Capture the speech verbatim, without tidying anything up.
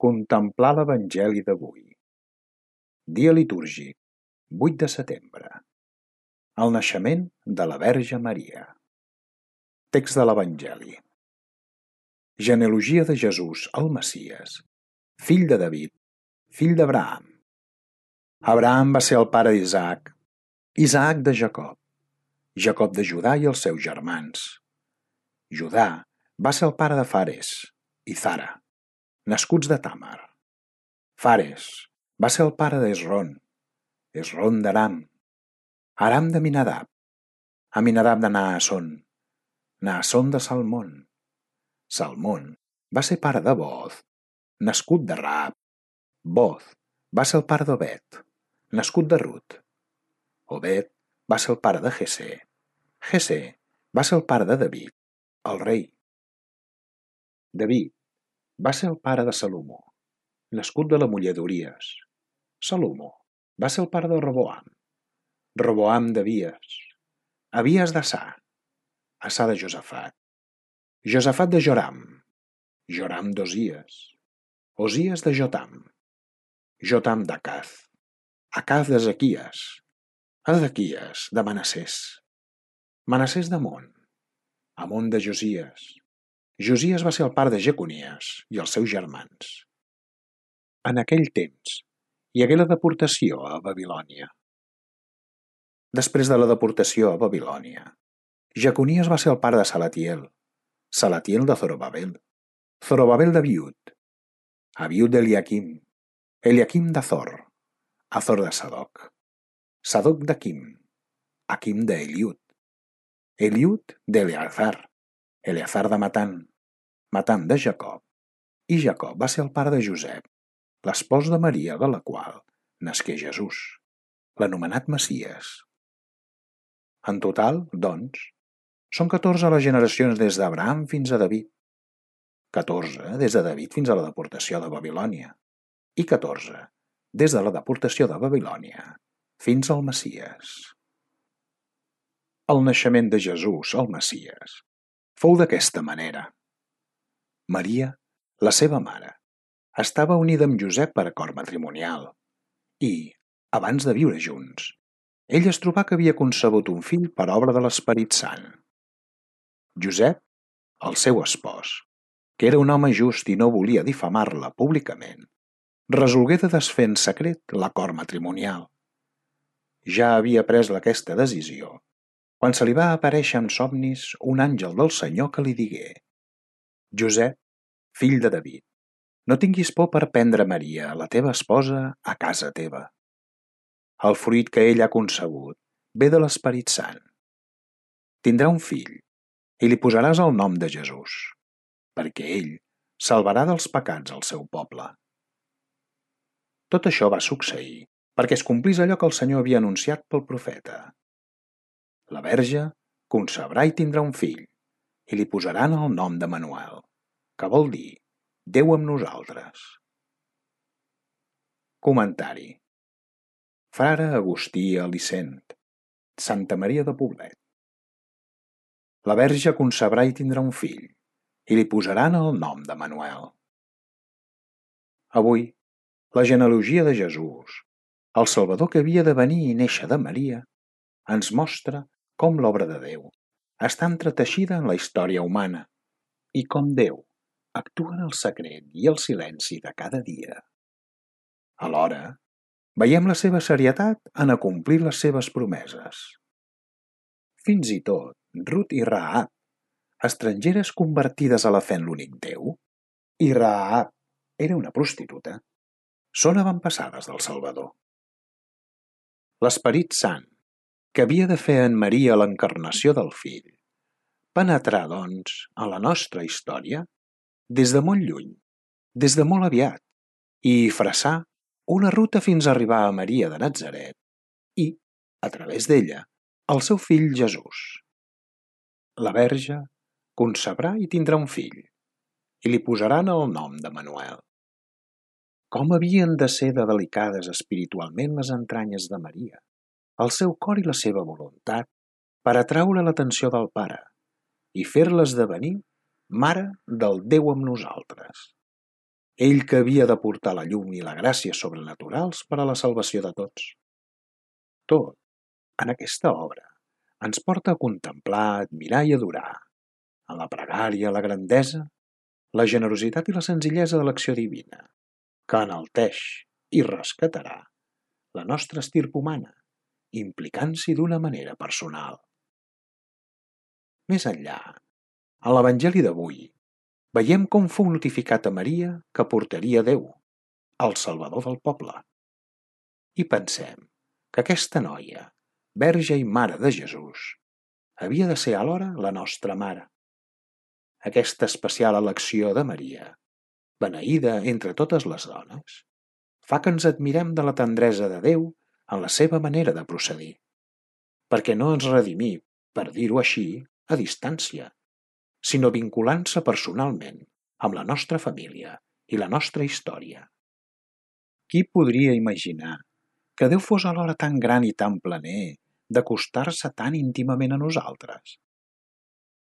Contemplar l'Evangeli d'avui. Dia litúrgic, vuit de setembre. El naixement de la Verge Maria. Text de l'Evangeli. Genealogia de Jesús, el Messies, fill de David, fill d'Abraham. Abraham va ser el pare d'Isaac, Isaac de Jacob, Jacob de Judà i els seus germans. Judà va ser el pare de Fares i Zara, nascuts de Tàmar. Fares va ser el pare d'Esron, Esron d'Aram, Aram de Minadab, Aminadab de Naasson, Naasson de Salmón. Salmón va ser pare de Boz, nascut de Raab. Boz va ser el pare d'Obed, nascut de Rut. Obed va ser el pare de Jessé. Jessé va ser el pare de David, el rei. David va ser el pare de Salomó, nascut de la muller d'Uries. Salomó va ser el pare de Roboam, Roboam d'Abies, Abies d'Assà, Assà de Josafat, Josafat de Joram, Joram d'Osies, Osies de Jotam, Jotam d'Acaz, Acaz d'Ezequies, Ezequies de Manassès, Manassès d'Amon, Amon de Josies. Josies va ser el pare de Jeconies i els seus germans. En aquell temps hi hagué la deportació a Babilònia. Després de la deportació a Babilònia, Jeconies va ser el pare de Salatiel, Salatiel de Zorobabel, Zorobabel d'Abiud, Abiud d'Eliaquim, Eliaquim d'Azor, Azor de Sadoc, Sadoc d'Aquim, Aquim d'Eliud, Eliud d'Eleazar, Eleazar de Matan, Matan de Jacob, i Jacob va ser el pare de Josep, l'espòs de Maria, de la qual nasqué Jesús, l'anomenat Messies. En total, doncs, són catorze les generacions des d'Abraham fins a David, catorze des de David fins a la deportació de Babilònia i catorze des de la deportació de Babilònia fins al Messies. El naixement de Jesús, el Messies, fou d'aquesta manera. Maria, la seva mare, estava unida amb Josep per acord matrimonial i, abans de viure junts, ell es trobà que havia concebut un fill per obra de l'Esperit Sant. Josep, el seu espòs, que era un home just i no volia difamar-la públicament, resolgué de desfer en secret l'acord matrimonial. Ja havia pres aquesta decisió quan se li va aparèixer en somnis un àngel del Senyor que li digué: Josep, fill de David, no tinguis por per prendre Maria, la teva esposa, a casa teva. El fruit que ell ha concebut ve de l'Esperit Sant. Tindrà un fill i li posaràs el nom de Jesús, perquè ell salvarà dels pecats el seu poble. Tot això va succeir perquè es complís allò que el Senyor havia anunciat pel profeta. La Verge concebrà i tindrà un fill i li posaran el nom d'Emanuel, que vol dir Déu amb nosaltres. Comentari. Frare Agustí Alicent, Santa Maria de Poblet. La Verge concebrà i tindrà un fill i li posaran el nom d'Emanuel. Avui, la genealogia de Jesús, el Salvador que havia de venir i néixer de Maria, ens mostra com l'obra de Déu està entreteixida en la història humana i com Déu actua en el secret i el silenci de cada dia. Alhora, veiem la seva serietat en acomplir les seves promeses. Fins i tot Rut i Rahab, estrangeres convertides a la fe en l'únic Déu, i Rahab era una prostituta, són avantpassades del Salvador. L'Esperit Sant, que havia de fer en Maria l'encarnació del Fill, penetrà, doncs, a la nostra història des de molt lluny, des de molt aviat, i freçà una ruta fins a arribar a Maria de Natzaret i, a través d'ella, el seu fill Jesús. La Verge concebrà i tindrà un fill i li posaran el nom d'Emanuel. Com havien de ser de delicades espiritualment les entranyes de Maria, el seu cor i la seva voluntat per atraure l'atenció del Pare i fer-la esdevenir mare del Déu amb nosaltres. ell que havia de portar la llum i la gràcia sobrenaturals per a la salvació de tots. Tot, en aquesta obra, ens porta a contemplar, admirar i adorar, en la pregària, la grandesa, la generositat i la senzillesa de l'acció divina, que enalteix i rescatarà la nostra estirp humana, implicant-s'hi d'una manera personal. Més enllà, en l'Evangeli d'avui, veiem com fou notificat a Maria que portaria Déu, el Salvador del poble. I pensem que aquesta noia, verge i mare de Jesús, havia de ser alhora la nostra mare. Aquesta especial elecció de Maria, beneïda entre totes les dones, fa que ens admirem de la tendresa de Déu en la seva manera de procedir, perquè no ens redimí, per dir-ho així, a distància, sinó vinculant-se personalment amb la nostra família i la nostra història. Qui podria imaginar que Déu fos alhora tan gran i tan planer d'acostar-se tan íntimament a nosaltres?